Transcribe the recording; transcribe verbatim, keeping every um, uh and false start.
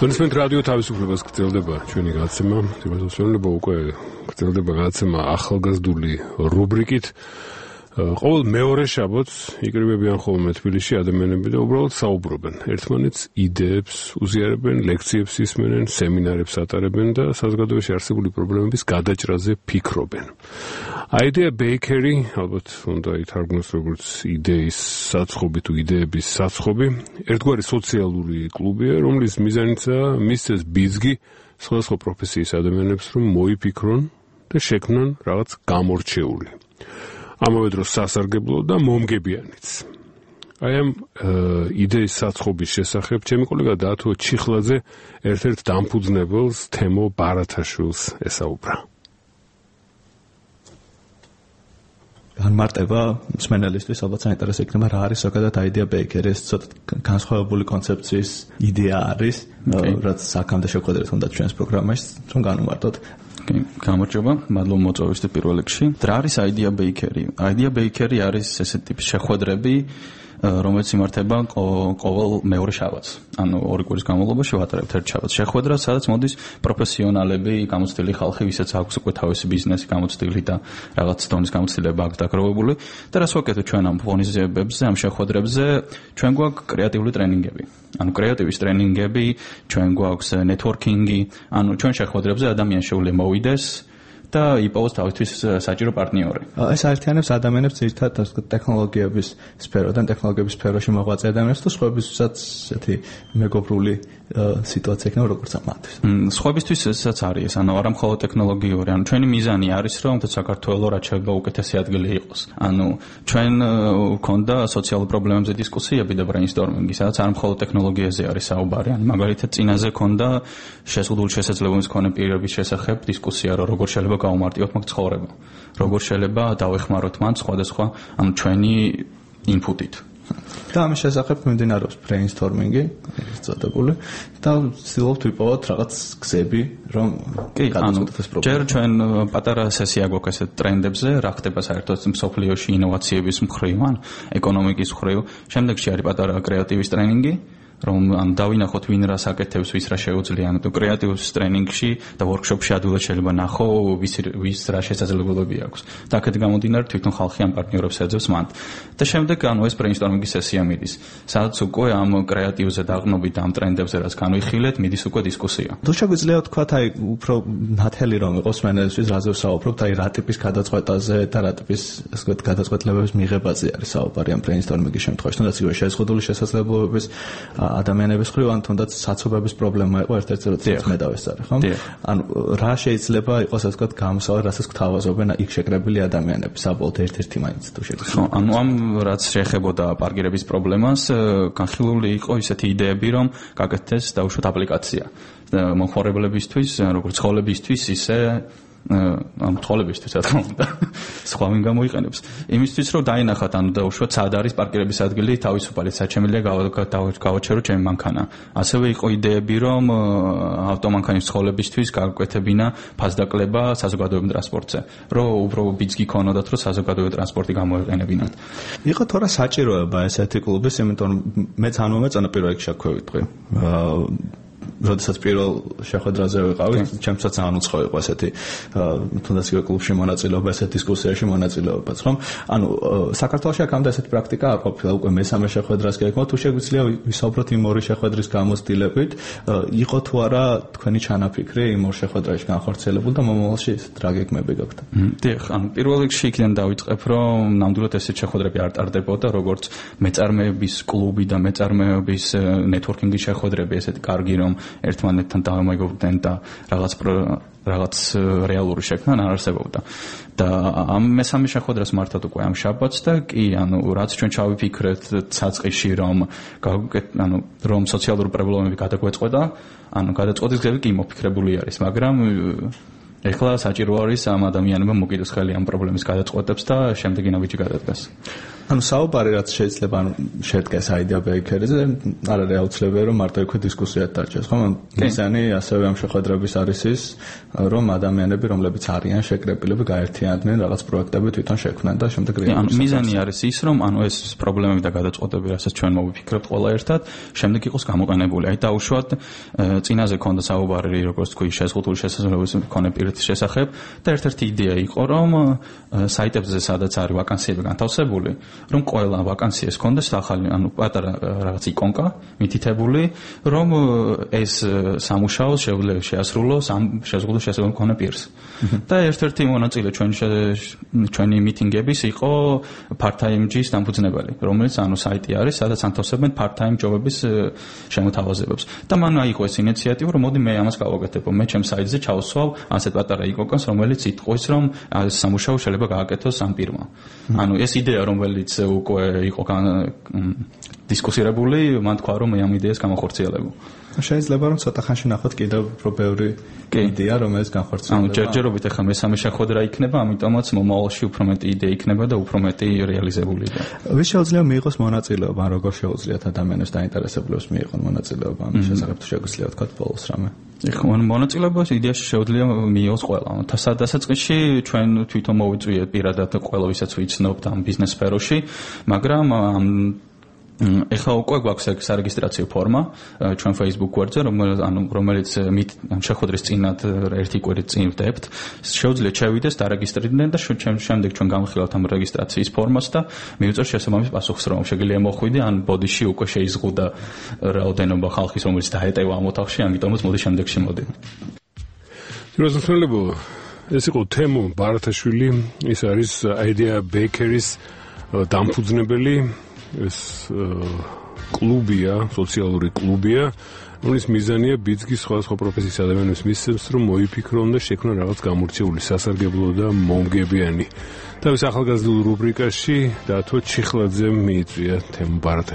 Თქვენისმენთ რადიო თავისუფლებას გრძელდება ჩვენი გადაცემა, თემასწავლება უკვე გრძელდება გადაცემა ახალგაზრდული რუბრიკით. ყოველ მეორე შაბათს იკრიბებიან ხოლმე თბილისში ადამიანები და უბრალოდ საუბრობენ. ერთმანეთს იდეებს უზიარებენ, ლექციებს ისმენენ, სემინარებს ატარებენ და საზოგადოებაში არსებული პრობლემების გადაჭრაზე ფიქრობენ. Idea Bakery, ალბათ უნდა ითარგმნოს როგორც იდეის საცხობი თუ იდეების საცხობი, ერთგვარი სოციალური კლუბია, რომლის მიზანიცაა მისცეს ბიძგი სხვადასხვა პროფესიის ადამიანებს, რომ მოიფიქრონ და შექმნან რაღაც გამორჩეული. ამავე დროს სასარგებლო და მომგებიანიც. აი ამ იდეის საცხობის შესახებ ჩემი კოლეგა დაათო ჩიხლაძე ერთ-ერთ დამფუძნებელს თემო ბარათაშვილს ესაუბრა. განმარტება მსმენელისთვის ალბათ საინტერესო იქნება რა არის ზოგადად Idea Bakery, ეს ცოტა განსხვავებული კონცეფციის იდეა არის, რაც აქამდე შეხვედრეთ უნდა ჩვენს პროგრამაში, რომ განვმარტოთ. გამარჯობა, მადლობა მოწვევისთვის პირველ რიგში. რა არის Idea Bakery? Idea Bakery არის ესეთი ტიპის შეხვედრები, რომელიც იმართება ყოველ მეორე შაბათს. ანუ ორი კვირის განმავლობაში ვატარებთ ერთ შაბათს შეხვედრას, სადაც მოდის პროფესიონალები, გამოცდილი ხალხი, ვისაც აქვს უკვე თავისი ბიზნესი გამოცდილი და რაღაც დონის გამოცდილება აქვს დაგროვებული. და რას ვაკეთებთ ჩვენ ამ ფონიზებებზე, ამ შეხვედრებზე? ჩვენ გვაქვს კრეატიული ტრენინგები. ანუ კრეატივის ტრენინგები, ჩვენ გვაქვს ნეტვორკინგი, ანუ ჩვენ შეხვედრებზე ადამიანი შეუძლია მოვიდეს და იპოვოს თავისთვის საჭირო პარტნიორი. ეს აერთიანებს ადამიანებს ძირითადად ტექნოლოგიების სფეროდან, ტექნოლოგიების სფეროში მოღვაწე ადამიანებს და სხვებისთვისაც ესეთი მეგობრული სიტუაცია იქნება როგორც ამათთვის. სხვებისთვის ესაც არის, ანუ არა მხოლოდ ტექნოლოგიური, ანუ ჩვენი მიზანი არის, რომ საქართველოს რაც შეიძლება უკეთესი ადგილი იყოს. ანუ ჩვენ გვქონდა სოციალურ პრობლემებზე დისკუსიები და ბრეინსტორმინგი, სადაც არ მხოლოდ ტექნოლოგიაზე არის საუბარი, ანუ მაგალითად წინაზე ქონდა შეზღუდული შესაძლებლობის მქონე პირების შესახებ დისკუსია, რომ როგორ შეიძლება გავუმარტივოთ მაგ ცხოვრება. როგორ შეიძლება დავეხმაროთ მან სხვადასხვა ანუ ჩვენი ინფუტით. და ამის შესახებ მიმდინარეობს ბრეინსტორმინგი, ეს წოდებული და ვცდილობთ ვიპოვოთ რაღაც გზები, რომ გადაწყვეტოთ ეს პრობლემა. ჯერ ჩვენ პატარა სესია გვაქვს ესეთ ტრენდებზე, რა ხდება საერთოდ მსოფლიოში ინოვაციების მხრივ, ან ეკონომიკის მხრივ. შემდეგში არის პატარა კრეატივის ტრენინგი, რომ ან დავინახოთ ვინ რას აკეთებს, ვის რა შეუძლია, ანუ კრეატივის ტრენინგში და ვორქშოპში ადვილად შეიძლება ნახო, ვის ვის რა შესაძლებლობები აქვს. და აქეთ გამომდინარე თვითონ ხალხი ამ პარტნიორებს ეძებს მანდ. და შემდეგ ანუ ეს ბრეინსტორმინგის სესია მიდის, სადაც უკვე ამ კრეატივზე დაყრდნობით ამ ტრენდებზე რაც განვიხილეთ, მიდის უკვე დისკუსია. თუ შეგვიძლია ვთქვათ, აი უფრო ნათელი რომ იყოს მენეჯერის რაზე ვსაუბრობთ, აი რა ტიპის გადაწყვეტაზე და რა ტიპის ასე ვთქვათ გადაწყვეტილებების მიღებაზე არის საუბარი ამ ბრეინსტორმინგის შემთხვევაში, თუნდაც იგივე შეზღუდული შესაძლებლობების ადამიანების ხრივ ან თუნდაც საცობების პრობლემა იყო ერთ-ერთი როდესაც მე დავესწარე, ხო? ანუ რა შეიძლება იყოს ასე ვთქვათ გამოსავალი, რასაც გვთავაზობენ იქ შეკრებილი ადამიანები, საბოლოოდ ერთ-ერთი მაინც თუ შეგვიძლია. ანუ ამ რაც შეეხებოდა პარკირების პრობლემას, განხილული იყო ისეთი იდეები, რომ გაკეთდეს დაუშვათ აპლიკაცია მომხმარებლებისთვის, როგორც ცხოველებისთვის, ისე ამ თოლებისთვის რა თქმა უნდა სხვა ვინ გამოიყენებს იმისთვის რომ დაინახათ ანუ დაუშვათ სად არის პარკირების ადგილი თავისუფალი საჩემელია გავაჩერო ჩემი მანქანა ასევე იყო იდეები რომ ავტომანქანის ცხოველებისთვის გაგვეკეთებინა ფასდაკლება საზოგადოებრივ ტრანსპორტზე რომ უბრალოდ ბიძგი ქონოდათ რომ საზოგადოებრივ ტრანსპორტი გამოეყენებინათ იყო თორე საჭიროება ესეთი კლუბის იმიტომ რომ მეც არ მომეწონა პირველ რიგში აქ ვიტყვი როდესაც პირველ შეხვედრაზე ვიყავი, ჩემსაც ძალიან უცხო იყო ესეთი თუნდაც იგივე კლუბში მონაწილეობა, ესეთ დისკუსიაში მონაწილეობაც, რომ ანუ საქართველოში აქამდე ესეთი პრაქტიკა არ ყოფილა, უკვე მესამე შეხვედრას გეკმოთ, თუ შეგვიძლია ვისაუბროთ იმ ორი შეხვედრის გამოცდილებით, იყო თუ არა თქვენი ჩანაფიქრი იმ ორ შეხვედრაში განხორციელებული და მომავალში რა გეგმები გაქვთ? დიახ, ანუ პირველ რიგში იქიდან დავიწყებ, რომ ნამდვილად ესეთ შეხვედრები არ ტარდებოდა, როგორც მეწარმეების კლუბი და მეწარმეების ნეტვორკინგის შეხვედრები, ესეთი კარგი რომ ერთმანეთთან დავამეგობრდნენ და რაღაც რაღაც რეალური შექმნა არ არსებობდა. და ამ მესამე შეხვედრას მართად უკვე ამ შაბათს და კი, ანუ რაც ჩვენ ჩავიფიქრეთ საწყისში, რომ ანუ რომ სოციალური პრობლემები გადაგვეწყვეტა, ანუ გადაწყვეტის გზები კი მოფიქრებული არის, მაგრამ ეხლა საჭირო არის ამ ადამიანებმა მოკიდოს ხელი ამ პრობლემის გადაწყვეტებს და შემდეგი ნაბიჯი გადადგას. ანუ საუბარი რაც შეიძლება ანუ შედგეს idea bakery-ზე, არ არის აუცილებელი რომ მარტო იქვე დისკუსიად დაჭერს, ხო? მიზანი ასევე ამ შეხვედრების არის ის, რომ ადამიანები, რომლებიც არიან შეკრებილები, გაერთიანდნენ რაღაც პროექტები თვითონ შექმნან და შემდეგ რეალურად. ანუ მიზანი არის ის, რომ ანუ ეს პრობლემები და გადაწყვეტები, რასაც ჩვენ მოვიფიქრებთ ყველა ერთად, შემდეგ იყოს გამოყენებული. აი დაუშვათ წინაზე ქონდა საუბარი, როგორც თქვი, შეზღუდული შესაძლებლობის მქონე პირის შესახებ და ერთ-ერთი იდეა იყო, რომ საიტებზე, სადაც არის ვაკანსიები განთავსებული, რომ ყველა ვაკანსიას ქონდეს ახალი, ანუ პატარა რაღაც იკონკა მითითებული, რომ ეს სამუშაო შეუძლია შეასრულოს ამ შეზღუდულ შესაძლებლობის მქონე პირს. და ერთ-ერთი მონაწილე ჩვენ ჩვენი მიტინგების იყო part-time ჯის დამფუძნებელი, რომელიც ანუ საიტი არის, სადაც ანთავსებენ part-time ჯობების შემოთავაზებებს. და მან აიღო ეს ინიციატივა, რომ მოდი მე ამას გავაკეთებ, მე ჩემს საიტზე ჩავსვავ ასეთ პატარა იკონკას, რომელიც იტყვის, რომ ეს სამუშაო შეიძლება გააკეთოს ამ პირმა. ანუ ეს იდეა, რომელიც უკვე იყო დისკუსირებული, მან თქვა, რომ მე ამ იდეას გამახორციელებო. შეიძლება რომ ცოტა ხანში ნახოთ კიდევ უფრო ბევრი იდეა, რომელიც განხორციელდება. ანუ ჯერჯერობით ახლა მესამე შეხვედრა იქნება, ამიტომაც მომავალში უფრო მეტი იდეა იქნება და უფრო მეტი რეალიზებული იდეა. ვის შეუძლია მიიღოს მონაწილეობა, ან როგორ შეუძლიათ ადამიანებს დაინტერესებულებს მიიღონ მონაწილეობა ამ შესახებ თუ შეგვიძლია თქვა ბოლოს რამე? ეხლა მონაწილეობას იდეაში შეუძლია მიიღოს ყველა. დასაწყისში ჩვენ თვითონ მოვიწვიეთ პირადად ყველა ვისაც ვიცნობთ ამ ბიზნეს სფეროში, მაგრამ ამ ეხლა უკვე გვაქვს ეს სარეგისტრაციო ფორმა ჩვენ Facebook გვერდზე, რომელიც შეხვედრის წინათ ერთი კვირით წინ ვდებთ. შეუძლიათ შევიდეს, დარეგისტრირდნენ და შემდეგ ჩვენ გამხილავთ ამ რეგისტრაციის ფორმას და მივიწევთ შესაბამის პასუხს, რომ შეგიძლია მოხვიდე, ან ბოდიში უკვე შეიზღუდა რაოდენობა ხალხის, რომელიც დაეტევა ამ ოთახში, ამიტომაც მოდი შემდეგში მოდი. ძიროსნელებო, ეს იყო თემო ბარათაშვილი, ის არის idea bakery-ის დამფუძნებელი. ეს კლუბია, სოციალური კლუბია, რომლის მიზანია ბიძგის სხვადასხვა პროფესიის ადამიანებს მისცემს, რომ მოიფიქრონ და შექმნან რაღაც გამორჩეული, სასარგებლო და მომგებიანი. თავის ახალგაზრდულ რუბრიკაში დათო ჩიხლაძემ მიიწვია თემო ბარათაშვილი.